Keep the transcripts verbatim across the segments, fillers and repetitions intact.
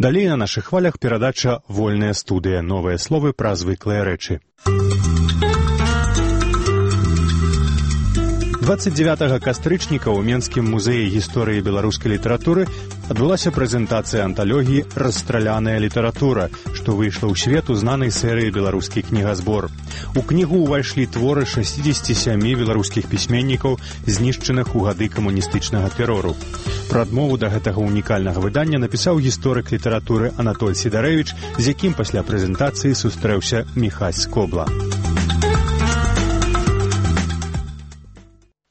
Далей на нашых хвалях перадача «Вольная студыя». Новыя словы пра звыклыя рэчы. дваццаць дзевятага кастрычніка ў Менскім музеі гісторыі беларускай літаратуры адбылася прэзентацыя анталогіі «Расстраляная літаратура», што выйшла ў свет у знанай серыі «Беларускі кнігазбор». У кнігу ўвайшлі творы шэсцідзесяці сямі беларускіх пісьменнікаў, знішчаных у гады камуністычнага тэрору. Прадмову да гэтага унікальнага выдання напісаў гісторык літаратуры Анатоль Сідарэвіч, з якім пасля прэзентацыі сустрэўся Міхась Скобла.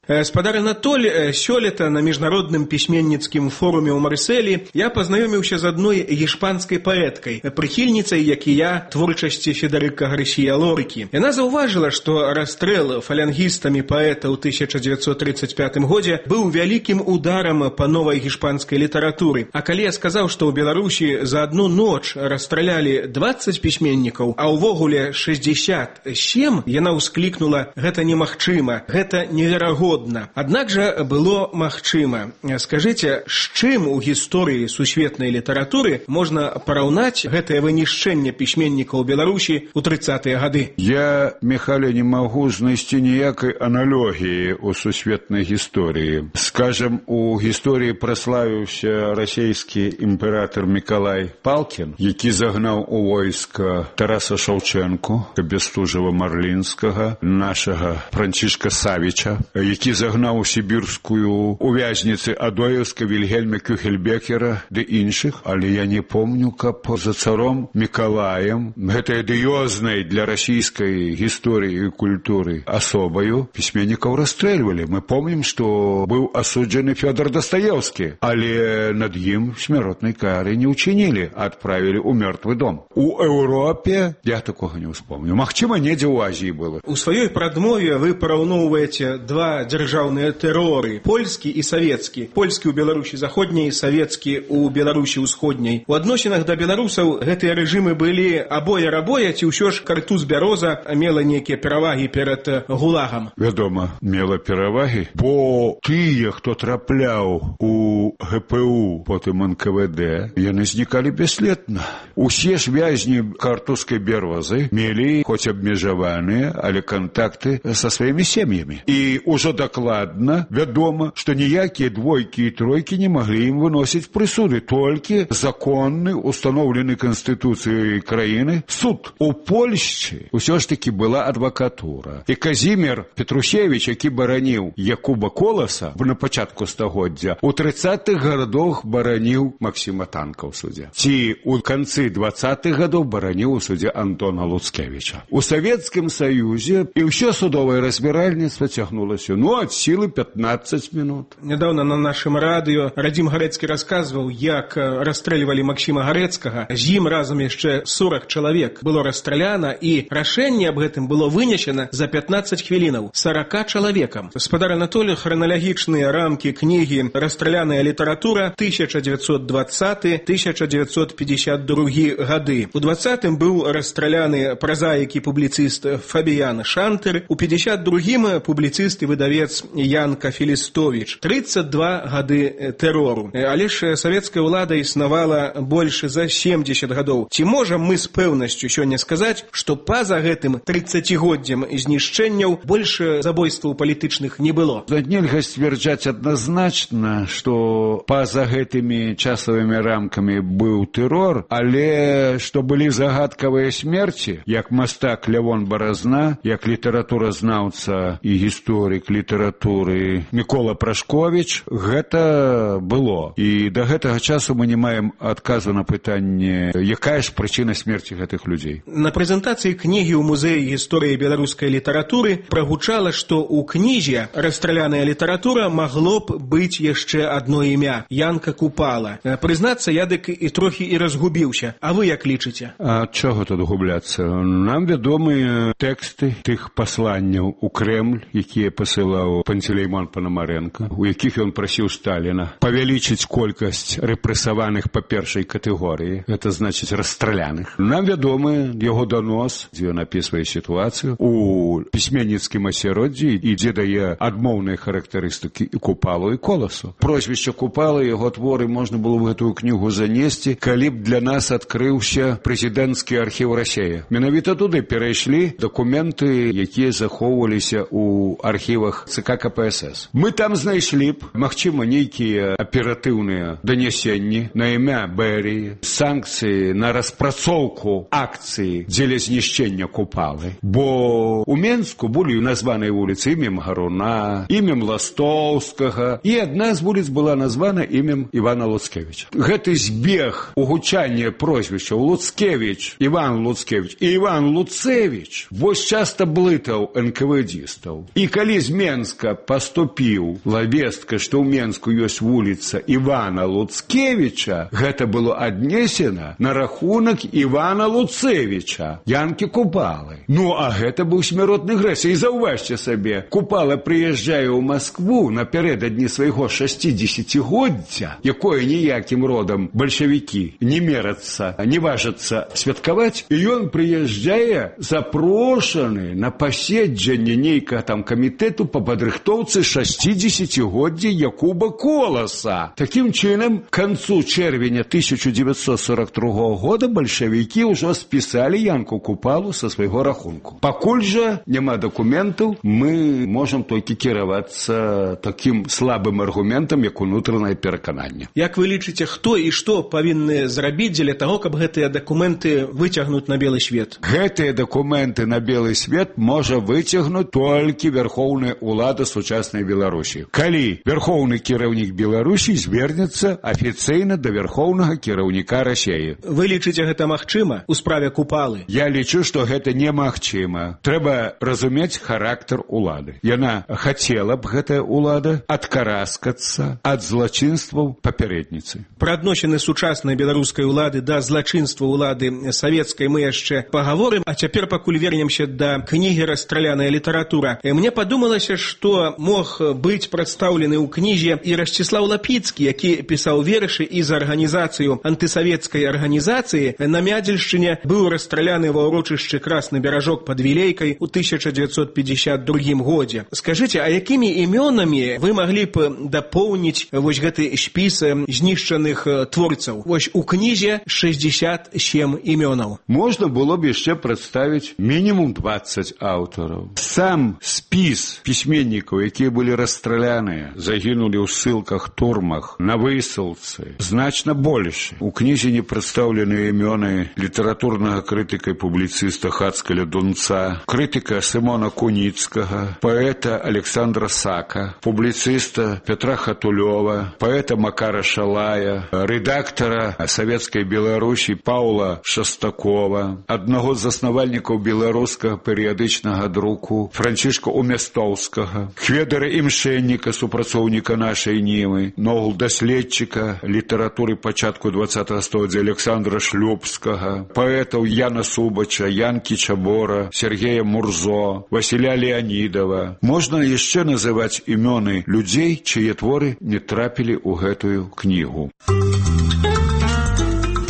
Спадар Анатоль, сёлета на міжнародным пісьменніцкім форуме ў Марсэлі я пазнаёміўся з адной гішпанскай паэткай, прыхільніцай, як і я, творчасці Федэрыка Гарсія Лоркі. Яна заўважыла, што расстрэл фалангістамі паэта ў тысяча дзевяцьсот трыццаць пятым годзе быў вялікім ударам па новай гішпанскай літаратуры. А калі я сказаў, што ў Беларусі за адну ноч расстралялі дваццаць пісьменнікаў, а ўвогуле шэсцьдзесят сем, яна ўсклікнула: гэта немагчыма, гэта неверагодна. Аднак жа было магчыма. Скажыце, з чым у гісторыі сусветнай літаратуры можна параўнаць гэтае вынішчэнне пісьменнікаў Беларусі ў трыццатыя гады? Я, Михайле, не магу знайсці ніякай аналогіі ў сусветнай гісторыі. Скажем, у гісторыі праславіўся расійскі імператор Мікалай Палкін, які загнаў у войска Тараса Шаўчэнку, Бестужева-Марлінскага, нашага Францішка Савіча, які загнаў у сібірскую увязніцы Адоевска, Вільгельма Кюхельбекера ды іншых, але я не помню, каб за царом Мікалаем, гэтай адыёзнай для расійскай гісторыі і культуры асобаю, пісьменнікаў расстрэльвалі. Мы помнім, што быў асуджаны Фёдор Дастаеўскі, але над ім смяротнай кары не ўчынілі, адправілі ў мёртвы дом. У Еўропе я такога не ўспомню. Магчыма, недзе ў Азіі было. У сваёй прадмове вы параўноўваеце два дзяржаўныя тэроры, польскі і савецкі. Польскі ў Беларусі заходняй, савецкі ў Беларусі ўсходняй. У адносінах да беларусаў гэтыя рэжымы былі абоя-рабоя, ці ўсё ж Картуз Бяроза мела нейкія перавагі перад гулагам? Вядома, мела перавагі, бо тыя, хто трапляў у ГПУ, потым эн ка вэ дэ, яны знікалі бясследна. Усе ж вязні Картузскай Бярозы мелі хоць абмежаваныя, але кантакты са сваімі сем'ямі. І ўжо дакладна вядома, што ніякія двойкі і тройкі не маглі ім выносіць прысуды, толькі законны, установлены Канстытуцыяй краіны суд. У Польшчы ўсё ж такі была адвакатура. І Казімір Петрусевіч, які бараніў Якуба Коласа на пачатку стагоддзя, у трыццатых гадах бараніў Максіма Танка ў судзе. Ці ў канцы дваццатых гадоў бараніў у судзе Антона Луцкевіча. У Савецкім Саюзе і ўсё судовае разбіральніцтва цягнулася, ну, ад сілы пятнаццаць минут. Нядаўна на нашым радыё Радзім Гарэцкі расказваў, як расстрэльвалі Максіма Гарэцкага. З ім разам яшчэ сорок чалавек было расстраляна, і рашэнне аб гэтым было вынесена за пятнаццаць хвілінаў сорока чалавекам. Спадар Анатолій, храналагічныя рамкі кнігі «Расстраляная літаратура» тысяча дзевяцьсот дваццаты — тысяча дзевяцьсот пятьдесят другі гады. У дваццатым быў расстраляны празаік і публіцыст Фабіян Шантер, у пятьдесят другім публіцыст і выдавец Янка Філістовіч. тридцать два гады тэрору. Але ж савецкая ўлада існавала больш за семьдесят гадоў. Ці можам мы з пэўнасцю сёння сказаць, што па-за гэтым трыццацігоддзям знішчэнняў больш забойстваў палітычных не было? Нельга сцвярджаць адназначна, што па-за гэтымі часавымі рамкамі быў тэрор, але што былі загадкавыя смерці, як мастак Лявон Баразна, як літаратуразнаўца і гісторык літаратуры Мікола Прашковіч, гэта было. І да гэтага часу мы не маем адказу на пытанне, якая ж прычына смерці гэтых людзей. На прэзентацыі кнігі ў музеі гісторыі беларускай літаратуры прагучала, што ў кнізе «Расстраляная літаратура» магло б быць яшчэ адно імя — Янка Купала. Прызнацца, я дык і трохі і разгубіўся. А вы як лічыце? А чого тут губляцца? Нам вядомыя тэксты тых пасланняў у Крэмль, якія пасылаў пісаў Пантелеймон Панамаренко, у якіх ён прасіў Сталіна павялічыць колькасць рэпрэсаваных па першай катэгорыі, гэта значыць расстраляных. Нам вядомы яго данос, дзе ён апісвае сітуацыю у пісьменніцкім асяроддзі і дзе дае адмоўныя характарыстыкі і Купалу, і Коласу. Прозвішча Купала, яго творы можна было в гэтую кнігу занесці, калі б для нас адкрыўся прэзідэнцкі архіў Расея. Менавіта туды перайшлі дакументы, якія захоўваліся ў архівах ЦК КПСС. Мы там знайшлі б, магчыма, нейкія аператыўныя данясенні на імя Берии, санкцыі на распрацоўку акцыі дзеля знішчэння Купалы. Бо у Менску былі названыя вуліцы імем Гаруна, імем Ластоўскага, і адна з вуліц была названа імем Івана Луцкевіча. Гэты збег угучання прозвішчаў Луцкевіч, Іван Луцкевіч і Іван Луцевіч вось часта блытаў эн ка вэ дістаў. І калі з Менска паступіў вестка, што ў Менску ёсць вуліца Івана Луцкевіча, гэта было аднесена на рахунак Івана Луцевіча, Янкі Купалы. Ну, а гэта быў смяротны грэс. І заўважце сабе, Купала прыязджае ў Маскву напярэдадні свайго шасцідзесяцігоддзя, якое ніякім родам бальшавікі не мерацца, не важацца святкаваць, і ён прыязджае запрошаны на паседжанне нейкага там камітэту па падрыхтоўцы шасцідзесяцігоддзя Якуба Коласа. Такім чынам, к канцу чэрвеня тысяча дзевяцьсот сорок другога года бальшавікі ўжо спісалі Янку Купалу са свайго рахунку. Пакуль жа няма дакументаў, мы можам толькі кіравацца такім слабым аргументам, як унутранае перакананне. Як вы лічыце, хто і што павінны зрабіць дзеля таго, каб гэтыя дакументы выцягнуць на белы свет? Гэтыя дакументы на белы свет можа выцягнуць толькі вярхоўная ўлада сучаснай Беларусі. Калі вярхоўны кіраўнік Беларусі звернецца афіцыйна да вярхоўнага кіраўніка Расеі. Вы лічыце гэта магчыма у справе Купалы? Я лічу, што гэта немагчыма. Трэба разумець характар улады. Яна хацела б, гэтая улада, адкараскацца ад злачынстваў папярэдніцы. Пра адносіны сучаснай беларускай улады да злачынства улады савецкай мы яшчэ пагаворым, а цяпер пакуль вернемся да кнігі «Расстраляная літаратура». Мне падумалася, што мог быць прадстаўлены ў кнізе і Расціслаў Лапіцкі, які пісаў вершы і за арганізацыю антысавецкай арганізацыі на Мядзельшчыне, быў расстраляны ва ўрочышчы Красны Беражок пад Вілейкай у тысяча дзевяцьсот пятьдесят другім годзе. Скажыце, а якімі імёнамі вы маглі б дапоўніць вось гэты спіс знішчаных творцаў? Вось у кнізе шэсцьдзесят сем імёнаў. Можна было б яшчэ прадставіць мінімум дваццаць аўтараў. Сам спіс пісьменнікаў, якія былі расстраляныя, загінулі ў ссылках, турмах, на высылцы, значна больш. У кнізе не прадстаўлены імёны літаратурнага крытыка і публіцыста Хацкаля Дунца, крытыка Сымона Куніцкага, паэта Александра Сака, публіцыста Петра Хатулёва, паэта Макара Шалая, рэдактара Савецкай Беларусі Паўла Шастакова, аднаго з заснавальнікаў беларускага перыядычнага друку Францішка Умястоўскага, Хведара Імшэнніка, супрацоўніка нашай Нівы, нового даследчика літаратуры пачатку двадцатага століцця Александра Шлюбскага, паэтаў Яна Субача, Янкі Чабора, Сергея Мурзо, Васіля Леонидова. Можна яшчэ называць імёны людзей, чые творы не трапілі ў гэтую кнігу.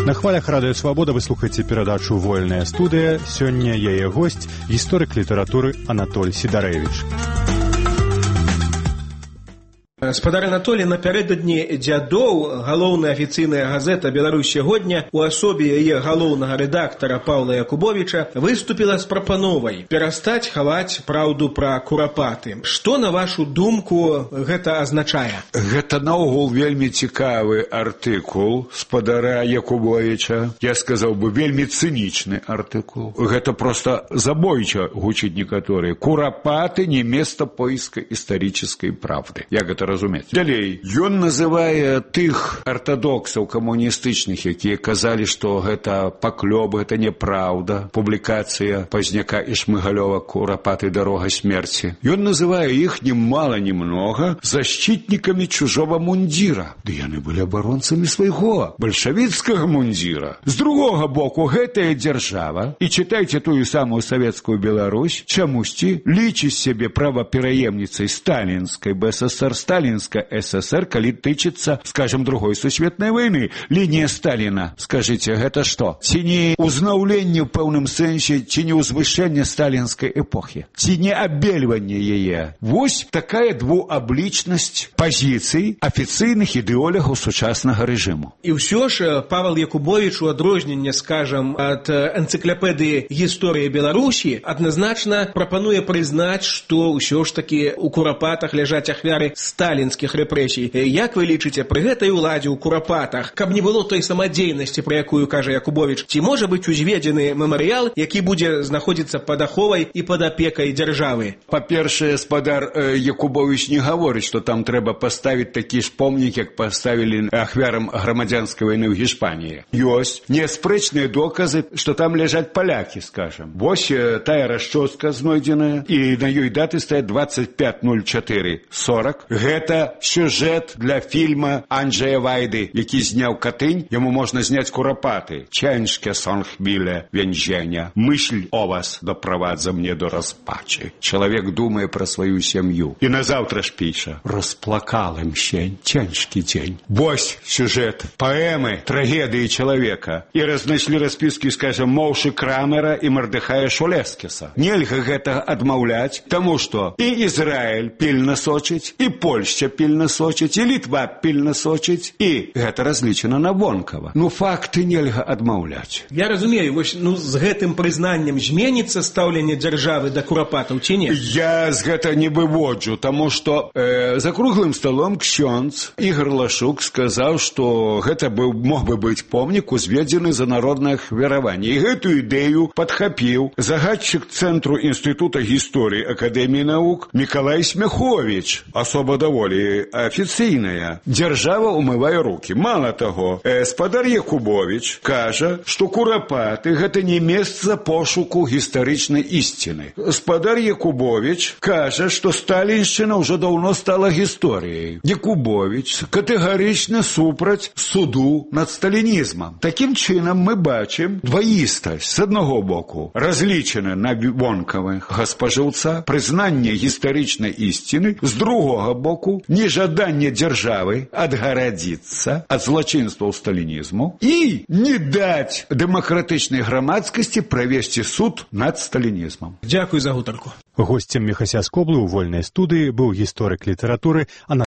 На хвалях радыё Свабода вы слухаеце перадачу «Вольная студыя». Сёння яе госць, гісторык літаратуры Анатоль Сідарэвіч. Спадар Анатолій, напярэдадні дзядоў галоўная афіцыйная газета «Беларусь сягоння» у асобе яе галоўнага рэдактара Паўла Якубовіча выступіла з прапановай перастаць хаваць праўду пра курапаты. Што, на вашу думку, гэта азначае? Гэта наогул вельмі цікавы артыкул спадара Якубовіча. Я сказаў бы, вельмі цынічны артыкул. Гэта проста забойча гучыць некаторыя. Курапаты не место поиска исторической правды. Я гэта разумею. зразумець. Далей, ён называе тых артадоксаў камуністычных, якія казалі, што гэта паклёб, гэта неправда, публікацыя Пазняка і Шмыгалёва «Курапаты. Дорога смерти». Ён называе іх ни мало ни много защитниками чужого мундира. Ды яны былі абаронцамі свайго бальшавіцкага мундира. З другога боку, гэтая дзяржава, і чытайце тую самую савецкую Беларусь, чамусьці лічыць сябе правапераемніцай сталінскай БССР, сталінская ССР, калі тычыцца, скажем, другой сусветнай войны. Лінія Сталіна, скажыце, гэта што? Ці не ўзнаўленне ў пэўным сэнсе, ці не ўзвышэнне сталінскай эпохі? Ці не абельванне яе? Вось такая двуаблічнасць пазіцый афіцыйных ідэолагаў сучаснага рэжыму. І ўсё ж Павел Якубович, у адрозненне, скажам, ад энцыклапедыі «Гісторыя Беларусі», адназначна прапануе прызнаць, што ўсё ж такі у Курапатах ляжаць ахвяры сталінскіх рэпрэсій. Як вы лічыце, пры гэтай уладзе ў Курапатах, каб не было той самадзейнасці, пра якую кажа Якубович, ці можа быць узведзены мемарыял, які будзе знаходзіцца пад аховай і пад апекай дзяржавы? Па-першае, спадар э, Якубович не гаворыць, што там трэба паставіць такі ж помнік, як паставілі ахвярам грамадзянскай вайны ў Гішпаніі. Ёсць неспрэчныя доказы, што там ляжаць палякі, скажам. Вось э, тая расчостка знойдзеная, і на ёй даты стаяць двадцать пять ноль четыре сорок. Гэта сюжэт для фільма Анджея Вайды, які зняў Катынь. Яму можна зняць Курапаты. Ciężkie są chwile więzienia. Myśl o was doprowadza mnie do rozpaczy. Człowiek думає про свою сім'ю. І на завтра ж пише: розплакалим się, ciężki dzień. Вось сюжет поэмы, трагедии человека. І разнайшлі расписки, скажем, Моўшы Крамера і Мардыхая Шулескіса. Нельга гэта адмаўляць, таму што і Ізраіль пільна сочыць, і Польшча пільна сочыць, і Літва пільна сочыць, і гэта разлічана на вонкава. Ну, факты нельга адмаўляць. Я разумею, вось, ну, з гэтым прызнаннем зменіцца стаўленне дзяржавы да Курапатаў ці не? Я з гэта не выводжу, таму што э, за круглым столом ксёндз Ігор Лашук сказаў, што гэта быў, мог бы быць помнік, узведзены за народнае ахвяраванне. І гэтую ідэю падхапіў загадчык Цэнтру Інстытута гісторыі Акадэміі навук Мікалай Смяховіч. Асоба даволі афіцыйная. Дзяржава умывае рукі. Мала таго, э, спадар Якубович кажа, што Курапаты гэта не месца пошуку гістарычнай ісціны. Спадар Якубович кажа, што сталіншчына ўжо даўно стала гісторыяй. Якубович катэгарычна супраць суду над сталінізмам. Такім чынам мы бачым дваістасць. З аднаго боку, разлічана на вонкавага спажыўца, прызнанне гістарычнай ісціны, з другога боку, нежаданне дзяржавы адгарадзіцца ад злачынстваў сталінізму і не даць дэмакратычнай грамадскасці правесці суд над сталінізмам. Дзякуй за гутарку. Госцем Міхася Скоблы ў вольнай студыі быў гісторык літаратуры Анатолій